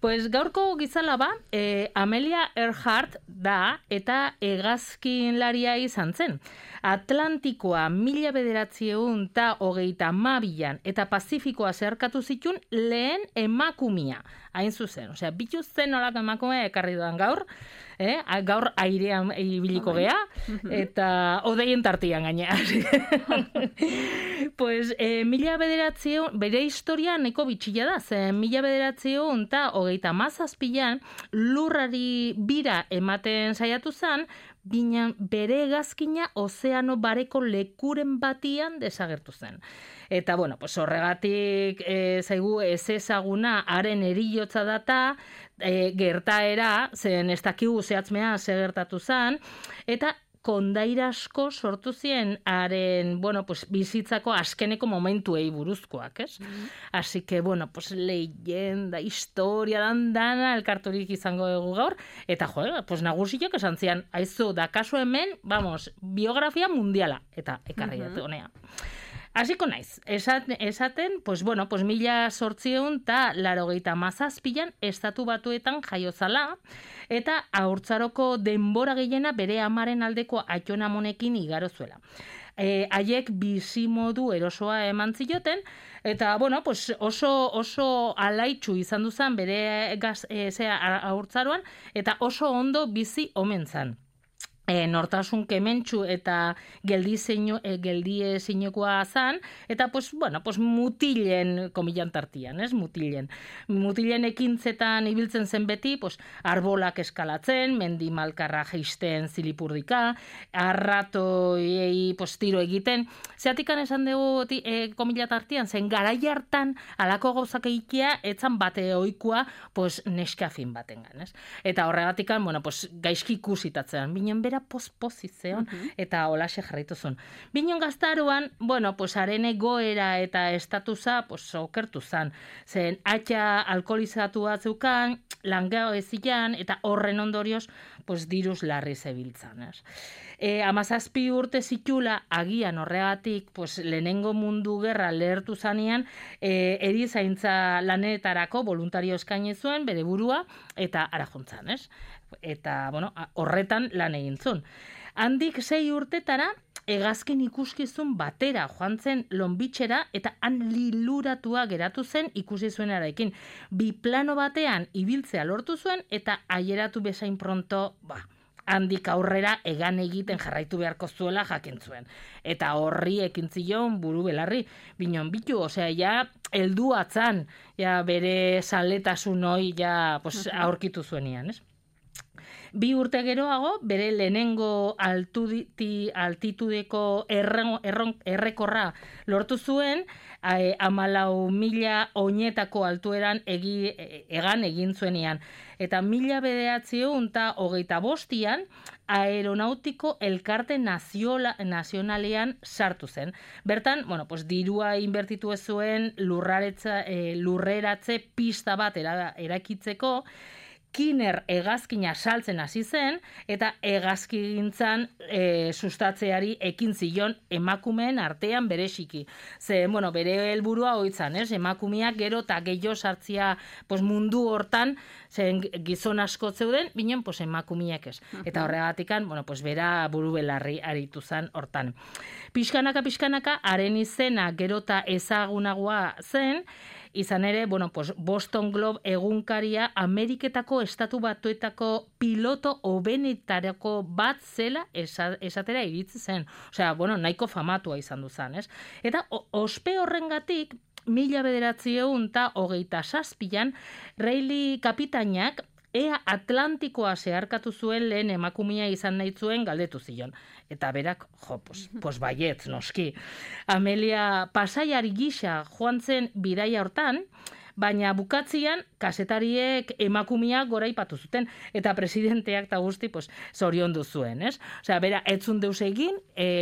Pues gaurko gizalaba, Amelia Earhart da eta hegazkinlaria izan zen. Atlantikoa 1932an eta Pazifikoa zeharkatu zituen lehen emakumia. Hain zuzen, osea, bitu zen olako emakumea ekarri dudan gaur, gaur airean ibiliko gea, eta odeien tartian gainea. Pues, bere historia nahiko bitxila da, zen 1937an lurrari bira ematen saiatu zen, bina bere hegazkina ozeano bareko lekuren batian desagertu zen. Eta, bueno, pues horregatik zaigu ez ezaguna haren erillotza data, gertaera, zen ez dakigu zehatzmea gertatu zen, eta kondaira asko sortu zien haren, bueno, pues bizitzako azkeneko momentuei buruzkoak, ez? Así que, bueno, pues leyenda, historia, dana elkarturik izango dugu gaur, eta pues nagusiak esan zian, aizu, da kasu hemen, vamos, biografia mundiala, eta ekarri dut honea. Hasiko naiz, esaten, pues bueno, pues 1887an Estatu Batuetan jaio zala, eta haurtzaroko denbora gehiena bere amaren aldeko aitonamonekin igaro zuela. Haiek bizimodu erosoa eman zioten, eta, bueno, pues oso alaitzu izan duzan bere haurtzaroan, eta oso ondo bizi omen zan. Nortasun kementsu eta geldie zinekoa zan, eta, pues, bueno, pues mutilen, komilan tartian, mutilen. Mutilen ekintzetan ibiltzen zen beti, pues, arbolak eskalatzen, mendi malkarra jeisten zilipurdika, arratoiei, pues, tiro egiten. Zeatikan esan dugu komila tartian, zen garai hartan, alako gauzak egitea, etzan bate oikoa, pues, neskafin batengan, Eta horregatikan, bueno, pues, gaizki ikusitatzen, binen bera pospozizeon, eta holaxe jarraituzun. Binon gaztaruan, bueno, pues haren egoera eta estatusa, pues okertu zan. Zen, atxa alkoholizatua zeukan, langao ezian, eta horren ondorioz, pues diruz larri zebiltzan. 17 urte zitula, agian horregatik, pues lehenengo mundu gerra lehertu zanean, erizaintza lanetarako voluntario eskaini zuen, bere burua, eta arajuntzan, Eta, bueno, horretan lan egin zuen. Handik 6 urtetara, hegazkin ikuskizun batera joan zen Lonbitxera, eta han liluratua geratu zen ikusi zuenarekin. Biplano batean ibiltzea lortu zuen, eta aieratu bezain pronto, handik aurrera egan egiten jarraitu beharko zuela jakin zuen. Eta horri ekin zion buru belarri. Binon bitu, osea, ja, heldu atzan, ja, bere zaletasun hoi, ja, pues, aurkitu zuenian, 2 urte geroago, bere lehenengo altitudeko errekorra lortu zuen, 14.000 oinetako altueran egan egin zuenean. Eta 1925an aeronautiko elkarte nazionalean sartu zen. Bertan, bueno, pues dirua inbertitu ez zuen lurreratze pista bat erakitzeko, Kiner hegazkina saltzen hasi zen, eta hegazkintzan sustatzeari ekin zion emakumeen artean bereziki. Ze, bueno, bere helburua hoitzan, emakumeak gero eta gehiago sartzia pues, mundu hortan, zen gizon asko zeuden, binen pues, emakumeak ez. Eta horregatikan, bueno, pues, bera buru belarri aritu zen hortan. Pixkanaka, haren izena gero eta ezagunagoa zen, izan ere, bueno, pues Boston Globe egunkaria Ameriketako Estatu Batuetako piloto hobenetarako bat zela esatera iritzi zen. Osea, bueno, nahiko famatua izan du zen, Eta ospe horrengatik, 1927an, Reilly kapitainak ea Atlantikoa zeharkatu zuen lehen emakumea izan nahi zuen galdetu zion. Eta berak, pues baiet, noski. Amelia pasaiari gisa joan zen bidaia hortan, baina bukatzian kazetariek emakumeak goraipatu zuten, eta presidenteak eta guzti, pues, zoriondu zuen, Osea, bera, etzun deus egin,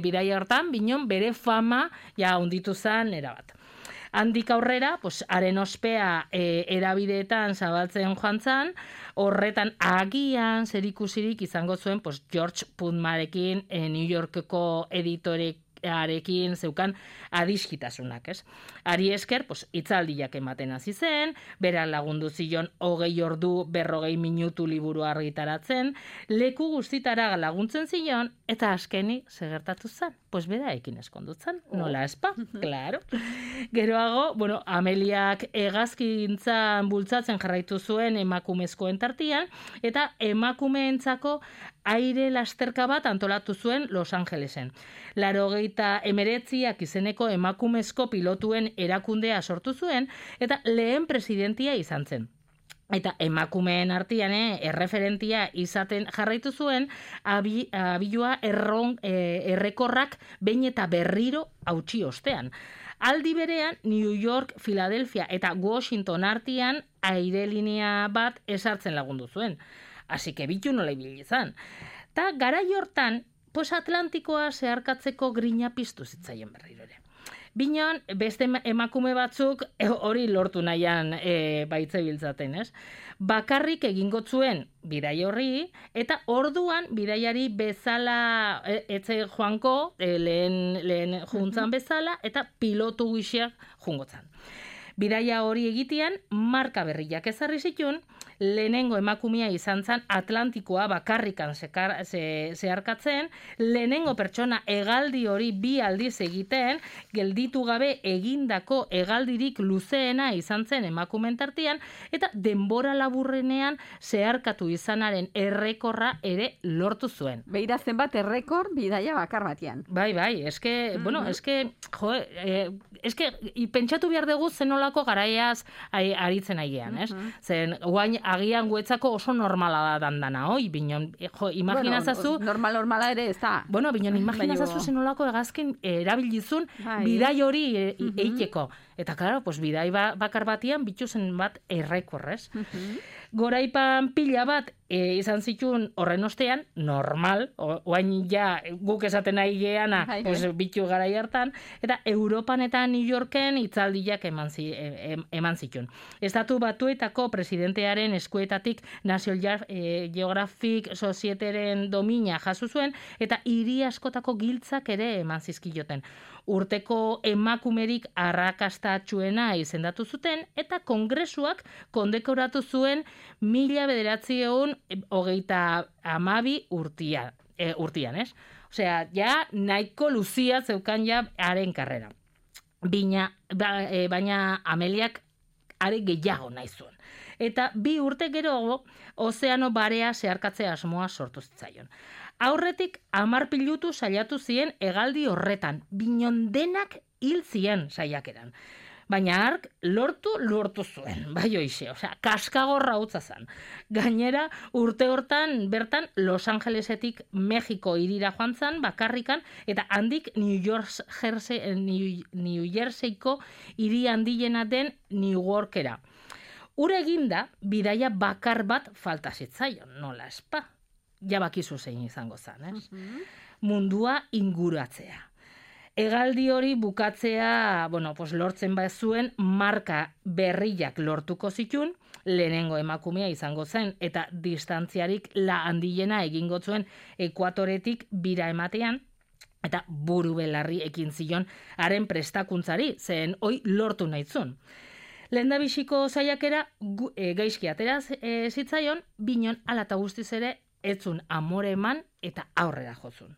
bidaia hortan, binon bere fama, ja, unditu zen, erabat. Handik aurrera, pues, haren ospea erabideetan zabaltzen joan zan, horretan agian zerikusirik izango zuen pues, George Putnamarekin New Yorkeko editoreak arekin zeukan adiskitasunak, ez? Ari esker, hitzaldiak ematen hasi zen, bera lagundu zion 20 ordu 40 minutu liburu argitaratzen, leku guztitara laguntzen zion, eta azkenik segertatu zen. Bera ekin eskondutzen, nola espa, claro. Geroago, Ameliak hegazkintzan bultzatzen jarraitu zuen emakumezkoen tartian, eta emakumeentzako aire lasterka bat antolatu zuen Los Angelesen. 89 izeneko emakumezko pilotuen erakundea sortu zuen, eta lehen presidentia izan zen. Eta emakumeen artean erreferentia izaten jarraitu zuen abilua errekorrak behin eta berriro hautsi ostean. Aldi berean, New York, Philadelphia eta Washington artean airelinea bat esartzen lagundu zuen. Así que bitu nola ibili izan. Ta garai hortan, Atlantikoa zeharkatzeko grina piztu zitzaien berriro ere. Binon, beste emakume batzuk hori lortu nahian baitzebiltzaten, ez? Bakarrik egingo zuen bidai horri, eta orduan bidaiari bezala etze joanko, lehen juntzan bezala, eta pilotu gixeak jungotzan. Bidaia hori egitean, marka berriak ezarri zituen, lehenengo emakumea izan zen Atlantikoa bakarrikan zeharkatzen, lehenengo pertsona hegaldi hori 2 aldiz egiten, gelditu gabe egindako hegaldirik luzeena izan zen emakumeen tartean, eta denbora laburrenean zeharkatu izanaren errekorra ere lortu zuen. Beira zenbat errekor bidaia bakar batean. Bai, pentsatu behar dugu zenolako garaiaz aritzen aigean, ez? Zen, guain agian guetzako oso normala da dandana, oi? Binon, imaginazazu... Normala ere ez da. Binon, imaginazazu zenolako hegazkin erabilizun bidai hori eiteko. Eta, klaro, bidai bakar batian bituzen bat errekorrez. Goraipan pila bat izan zituen horren ostean, normal, oain ja guk esaten nahi geana, bitu garai hartan, eta Europan eta New Yorken hitzaldiak eman zituen. Estatu Batuetako presidentearen eskuetatik National Geographic Societyren domina jaso zuen, eta hiri askotako giltzak ere eman zizkioten. Urteko emakumerik arrakastatsuena izendatu zuten, eta kongresuak kondekoratu zuen 1932 urtian, ez? Osea, ja nahiko luzia zeukan ja haren karrera. Baina Ameliak are gehiago nahi zuen. Eta 2 urte geroago, ozeano barea zeharkatzea asmoa sortu zitzaion. Aurretik 10 pilotu saiatu ziren hegaldi horretan, binon denak hil zien saiakeran. Baina hark lortu zuen, bai hoize, kaskagorra hutsa zen. Gainera, urte hortan bertan Los Angelesetik Mexiko hirira joan zen bakarrikan, eta handik New Jerseyko hiri handiena den Newarkera. Ura eginda, bidaia bakar bat falta zitzaion, nola espa. Jabakizu zein izango zen, ez? Mundua inguratzea. Hegaldi hori bukatzea, lortzen bazuen marka berriak lortuko zituen, lehenengo emakumea izango zen, eta distantziarik handiena egingo zuen ekuatoretik bira ematean, eta buru belarri ekin zion haren prestakuntzari, zen hoi lortu nahitzun. Lehendabiziko saiakera gaizki atera zitzaion, binon ala eta guztiz ere etzun amore eman eta aurrera jozun.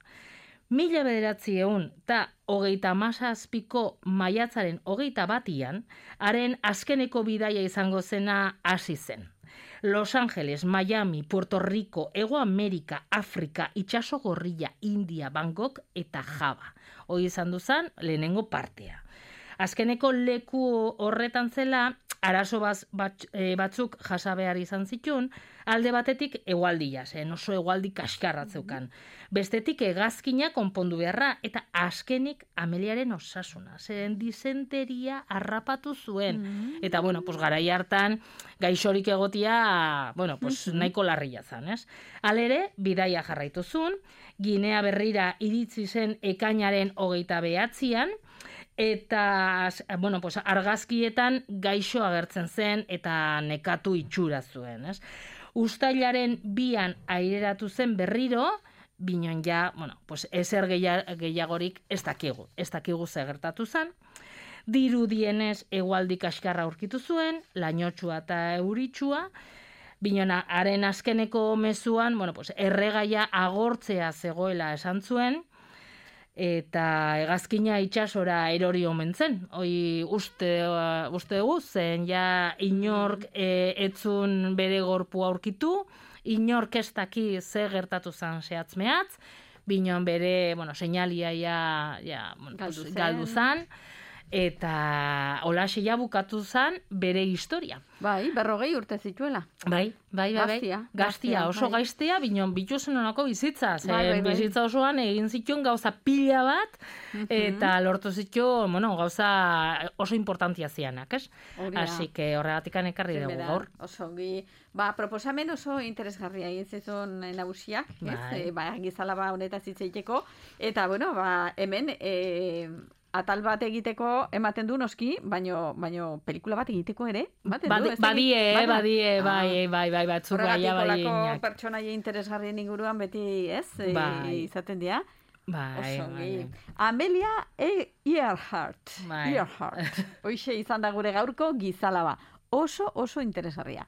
1937ko maiatzaren 21 haren azkeneko bidaia izango zena hasi zen. Los Angeles, Miami, Puerto Rico, Hego Amerika, Afrika, Itxaso Gorrilla, India, Bangkok eta Java. Hoi izan duzan lehenengo partea. Azkeneko leku horretan zela, arazo batzuk jasa behar izan zituen, alde batetik hegoaldia, oso hegoaldi kaskarratzeukan. Bestetik hegazkina konpondu beharra, eta azkenik Ameliaren osasuna, zeren disenteria harrapatu zuen. Eta, garai hartan, gaixorik egotia, nahiko larria zen, ez? Halere, bidaia jarraitu zuen, Ginea Berrira iritsi zen ekainaren 29an, eta, argazkietan gaixo agertzen zen eta nekatu itxura zuen, ez? Uztailaren 2an aireratu zen berriro, binon ja, bueno, pues ezer gehiagorik ez dakigu zer gertatu zen. Dirudienez hegoaldi kaskarra aurkitu zuen, lainotsua eta euritsua, binona, haren azkeneko mezuan, bueno, pues, erregaia agortzea zegoela esan zuen, eta hegazkina itsasora erori omen zen. Hoi uste dugu, zen ja inork etzun bere gorpua aurkitu, inork ez daki ze gertatu zen zehatz-mehatz, binon bere, bueno, seinalia galdu zen, eta holaxe ja bukatu zen bere historia. Bai, 40 urte zituela. Bai. Gaztia, oso bai. gaiztea, binon bituzen honako bizitza. Bai. Bizitza osoan egin zituen gauza pila bat, eta lortu zituen, bueno, gauza oso importantia zianak, ez? Así que horregatikan ekarri dugu gaur. Oso, proposamen oso interesgarria egin zizun nagusiak, ez? Gizalaba honetaz hitz egiteko, eta, bueno, hemen, atal bat egiteko ematen du noski, baino pelikula bat egiteko ere, badie, bai, batzuk gaia bai. Horregatik pertsonaia interesgarrien inguruan beti, ez? Izaten dira. Bai. Amelia Earhart. Hoixe izan da gure gaurko gizalaba. Oso interesgarria.